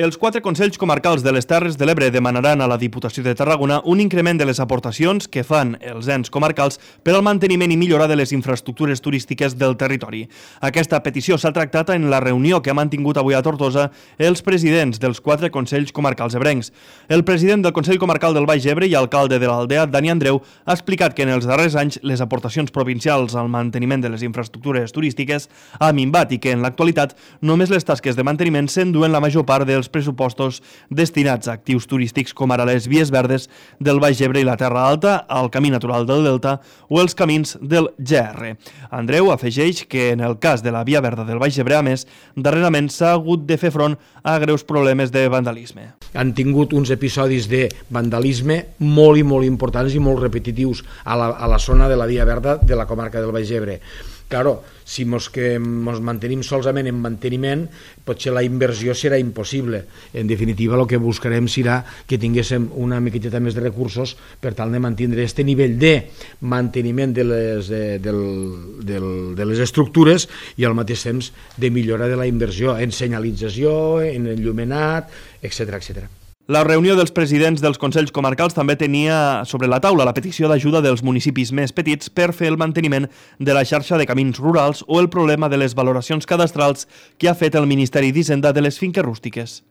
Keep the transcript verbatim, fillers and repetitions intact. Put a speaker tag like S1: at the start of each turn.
S1: Els quatre consells comarcals de les Terres de l'Ebre demanaran a la Diputació de Tarragona un increment de les aportacions que fan els ens comarcals per al manteniment i millora de les infraestructures turístiques del territori. Aquesta petició s'ha tractat en la reunió que ha mantingut avui a Tortosa els presidents dels quatre consells comarcals ebrencs. El president del Consell Comarcal del Baix Ebre i alcalde de l'Aldea, Dani Andreu, ha explicat que en els darrers anys les aportacions provincials al manteniment de les infraestructures turístiques ha minvat i que en l'actualitat només les tasques de manteniment s'enduen la major part dels pressupostos destinats a actius turístics com ara les vies verdes del Baix Ebre i la Terra Alta, el camí natural del Delta o els camins del G R. Andreu afegeix que en el cas de la via verda del Baix Ebre, a més, darrerament s'ha hagut de fer front a greus problemes de vandalisme.
S2: Han tingut uns episodis de vandalisme molt i molt importants i molt repetitius a la, a la zona de la via verda de la comarca del Baix Ebre. Claro, si mos que mos mantenim solament en manteniment, potser la inversió serà impossible. En definitiva, el que buscarem serà que tinguéssim una miqueta més de recursos per tal de mantenir aquest nivell de manteniment de les, de, del, del, de les estructures i al mateix temps de millora de la inversió en senyalització, en enllumenat, etcètera, etcètera.
S1: La reunió dels presidents dels consells comarcals també tenia sobre la taula la petició d'ajuda dels municipis més petits per fer el manteniment de la xarxa de camins rurals o el problema de les valoracions cadastrals que ha fet el Ministeri d'Hisenda de les finques rústiques.